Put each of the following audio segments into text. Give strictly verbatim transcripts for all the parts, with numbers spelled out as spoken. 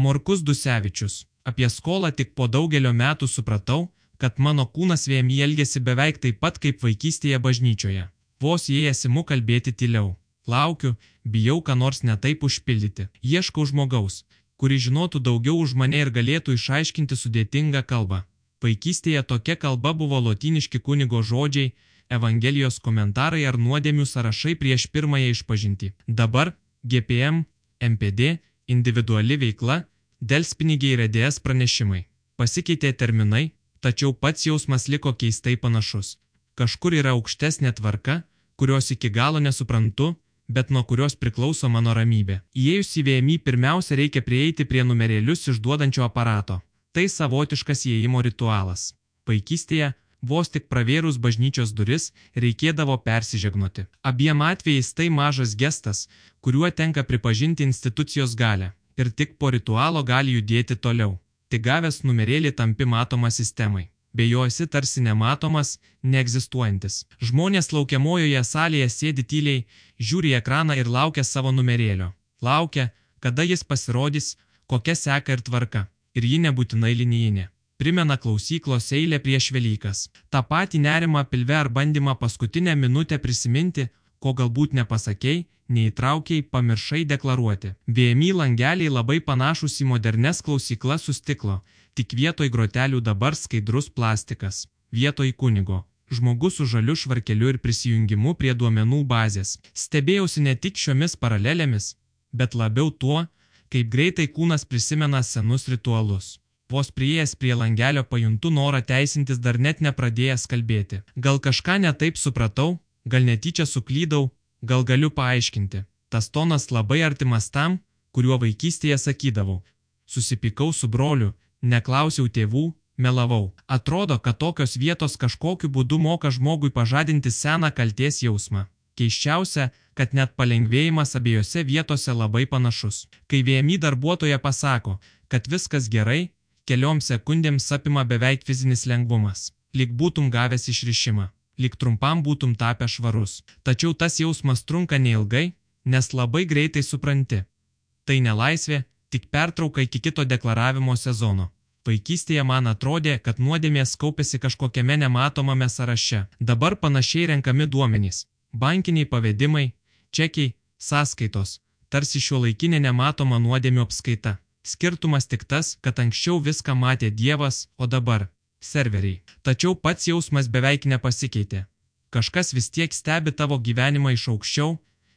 Morkus Dusevičius. Apie skolą tik po daugelio metų supratau, kad mano kūnas V M I elgėsi beveik taip pat kaip vaikystėje bažnyčioje. Vos įėjęs imu kalbėti tyliau. Laukiu, bijau ką nors netaip užpildyti. Ieškau žmogaus, kuri žinotų daugiau už mane ir galėtų išaiškinti sudėtingą kalbą. Vaikystėje tokia kalba buvo lotyniški kunigo žodžiai, Evangelijos komentarai ar nuodėmių sąrašai prieš pirmąją išpažintį. Dabar G P M, M P D, individuali veikla, delspinigiai ir E D S pranešimai. Pasikeitė terminai, tačiau pats jausmas liko keistai panašus. Kažkur yra aukštesnė tvarka, kurios iki galo nesuprantu, bet nuo kurios priklauso mano ramybė. Įėjus į V M I pirmiausia reikia prieiti prie numerėlius išduodančio aparato. Tai savotiškas įėjimo ritualas. Vaikystėje, vos tik pravėrus bažnyčios duris, reikėdavo persižegnoti. Abiem atvejais tai mažas gestas, kuriuo tenka pripažinti institucijos galę. Ir tik po ritualo gali judėti toliau. Tik gavęs numerėlį tampi matoma sistemai. Be jo esi tarsi nematomas, neegzistuojantis. Žmonės laukiamojoje salėje sėdi tyliai, žiūri į ekraną ir laukia savo numerėlio. Laukia, kada jis pasirodys, kokia seka ir tvarka. Ir ji nebūtinai linijinė. Primena klausyklos eilę prieš Velykas. Ta patį nerimą pilve ar bandymą paskutinę minutę prisiminti, ko galbūt nepasakei, neįtraukiai, pamiršai deklaruoti. V M I langeliai labai panašus į modernes klausyklas su stiklo, tik vietoj grotelių dabar skaidrus plastikas. Vietoj kunigo. Žmogus su žaliu švarkeliu ir prisijungimu prie duomenų bazės. Stebėjausi ne tik šiomis paralelėmis, bet labiau tuo, kaip greitai kūnas prisimena senus ritualus. Vos priėjęs prie langelio pajuntu norą teisintis dar net nepradėjęs kalbėti. Gal kažką netaip supratau, gal netyčia suklydau, gal galiu paaiškinti. Tas tonas labai artimas tam, kuriuo vaikystėje sakydavau. Susipykau su broliu, neklausiau tėvų, melavau. Atrodo, kad tokios vietos kažkokiu būdu moka žmogui pažadinti seną kaltės jausmą. Keiščiausia, kad net palengvėjimas abiejose vietose labai panašus. Kai V M I darbuotoja pasako, kad viskas gerai, kelioms sekundėms apima beveik fizinis lengvumas. Lyg būtum gavęs išrišimą. Lyg trumpam būtum tapę švarus. Tačiau tas jausmas trunka neilgai, nes labai greitai supranti. Tai ne laisvė, tik pertrauka iki kito deklaravimo sezono. Vaikystėje man atrodė, kad nuodėmės kaupėsi kažkokiame nematomame sąraše. Dabar panašiai renkami duomenys. Bankiniai pavedimai, čekiai, sąskaitos. Tarsi šiuolaikinė nematoma nuodėmių apskaita. Skirtumas tik tas, kad anksčiau viską matė Dievas, o dabar serveriai. Tačiau pats jausmas beveik nepasikeitė. Kažkas vis tiek stebi tavo gyvenimą iš aukščiau,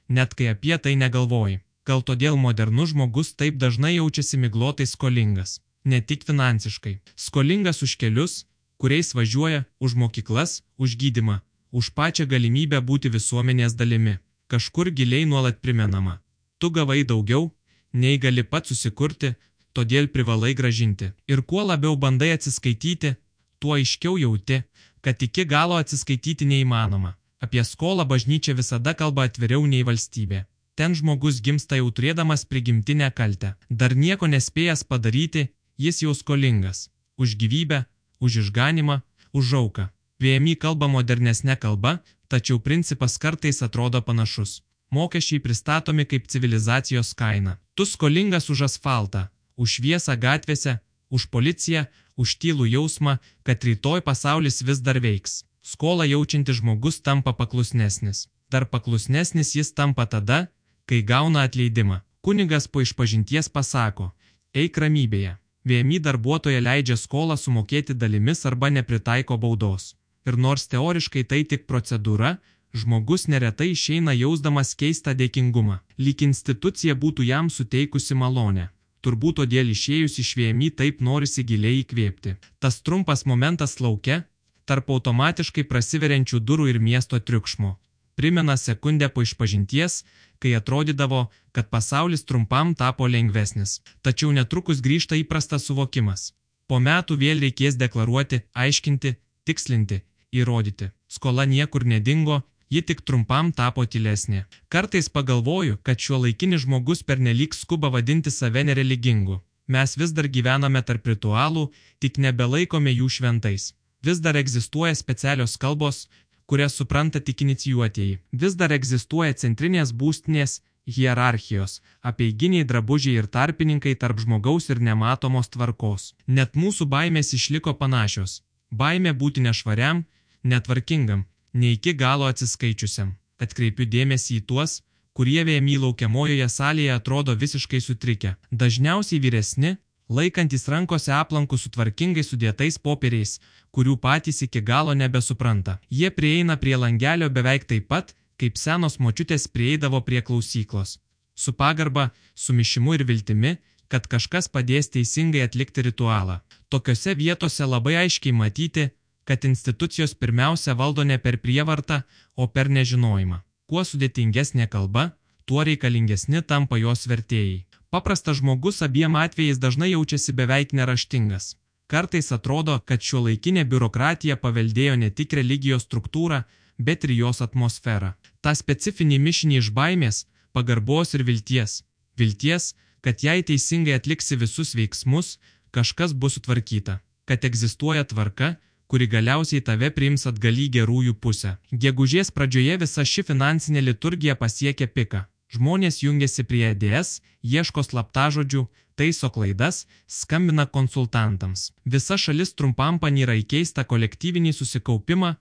net kai apie tai negalvoji. Gal todėl modernus žmogus taip dažnai jaučiasi miglotai skolingas. Ne tik finansiškai. Skolingas už kelius, kuriais važiuoja, už mokyklas, už gydymą, už pačią galimybę būti visuomenės dalimi. Kažkur giliai nuolat primenama. Tu gavai daugiau, nei gali pats susikurti, todėl privalai gražinti. Ir kuo labiau bandai atsiskaityti, tuo aiškiau jauti, kad iki galo atsiskaityti neįmanoma. Apie skolą bažnyčia visada kalba atviriau nei valstybė. Ten žmogus gimsta jau turėdamas prigimtinę kaltę. Dar nieko nespėjęs padaryti, jis jau skolingas. Už gyvybę, už išganimą, už auką. V M I kalba modernesnė kalba, tačiau principas kartais atrodo panašus. Mokesčiai pristatomi kaip civilizacijos kaina. Tu skolingas už asfaltą, už šviesą gatvėse, už policiją, už tylų jausmą, kad rytoj pasaulis vis dar veiks. Skolą jaučiantis žmogus tampa paklusnesnis. Dar paklusnesnis jis tampa tada, kai gauna atleidimą. Kunigas po išpažinties pasako, eik ramybėje. V M I darbuotoja leidžia skolą sumokėti dalimis arba nepritaiko baudos. Ir nors teoriškai tai tik procedūra, žmogus neretai išeina jausdamas keistą dėkingumą. Lyg institucija būtų jam suteikusi malonę. Turbūt todėl išėjus iš V M I taip norisi giliai įkvėpti. Tas trumpas momentas lauke, tarp automatiškai prasiveriančių durų ir miesto triukšmo. Primena sekundę po išpažinties, kai atrodydavo, kad pasaulis trumpam tapo lengvesnis. Tačiau netrukus grįžta įprastas suvokimas. Po metų vėl reikės deklaruoti, aiškinti, tikslinti, įrodyti. Skola niekur nedingo, ji tik trumpam tapo tylesnė. Kartais pagalvoju, kad šiuolaikinis žmogus pernelyg skuba vadinti save nereligingu. Mes vis dar gyvename tarp ritualų, tik nebelaikome jų šventais. Vis dar egzistuoja specialios kalbos, kurias supranta tik inicijuotieji. Vis dar egzistuoja centrinės būstinės, hierarchijos, apeiginiai drabužiai ir tarpininkai tarp žmogaus ir nematomos tvarkos. Net mūsų baimės išliko panašios. Baimė būti nešvariam, netvarkingam, ne iki galo atsiskaičiusiam. Atkreipiu dėmesį į tuos, kurie V M I laukiamojoje salėje atrodo visiškai sutrikę. Dažniausiai vyresni, laikantys rankose aplankus su tvarkingai sudėtais popieriais, kurių patys iki galo nebesupranta. Jie prieina prie langelio beveik taip pat, kaip senos močiutės prieidavo prie klausyklos. Su pagarba, sumišimu ir viltimi, kad kažkas padės teisingai atlikti ritualą. Tokiose vietose labai aiškiai matyti, kad institucijos pirmiausia valdo ne per prievartą, o per nežinojimą. Kuo sudėtingesnė kalba, tuo reikalingesni tampa jos vertėjai. Paprastas žmogus abiem atvejais dažnai jaučiasi beveik neraštingas. Kartais atrodo, kad šiuolaikinė biurokratija paveldėjo ne tik religijos struktūrą, bet ir jos atmosferą. Ta specifinį mišinį iš baimės, pagarbos ir vilties. Vilties, kad jei teisingai atliksi visus veiksmus, kažkas bus sutvarkyta. Kad egzistuoja tvarka, kuri galiausiai tave priims atgal į gerųjų pusę. Gegužės pradžioje visa ši finansinė liturgija pasiekia piką. Žmonės jungiasi prie E D S, ieško slaptažodžių, taiso klaidas, skambina konsultantams. Visa šalis trumpam panyra į keistą kolektyvinį susikaupimą,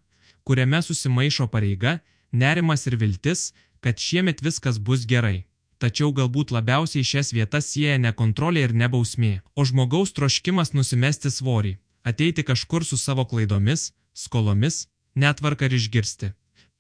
kuriame susimaišo pareiga, nerimas ir viltis, kad šiemet viskas bus gerai. Tačiau galbūt labiausiai šias vietas sieja ne kontrolė ir ne bausmė, o žmogaus troškimas nusimesti svorį, ateiti kažkur su savo klaidomis, skolomis, netvarką ir išgirsti.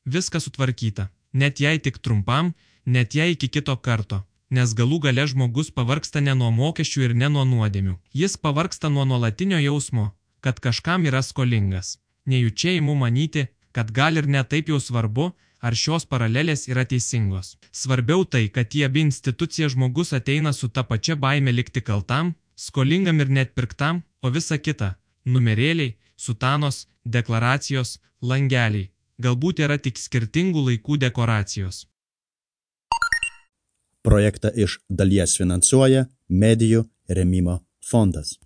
Viskas sutvarkyta, net jei tik trumpam, net jei iki kito karto, nes galų gale žmogus pavargsta ne nuo mokesčių ir ne nuo nuodėmių. Jis pavargsta nuo nuolatinio jausmo, kad kažkam yra skolingas. Nejučia imu manyti, kad gal ir ne taip jau svarbu, ar šios paralelės yra teisingos. Svarbiau tai, kad į abi institucijas žmogus ateina su ta pačia baime likti kaltam, skolingam ir net pirktam, o visa kita – numerėliai, sutanos, deklaracijos, langeliai – galbūt yra tik skirtingų laikų dekoracijos. Projektą iš dalies finansuoja Medijų rėmimo fondas.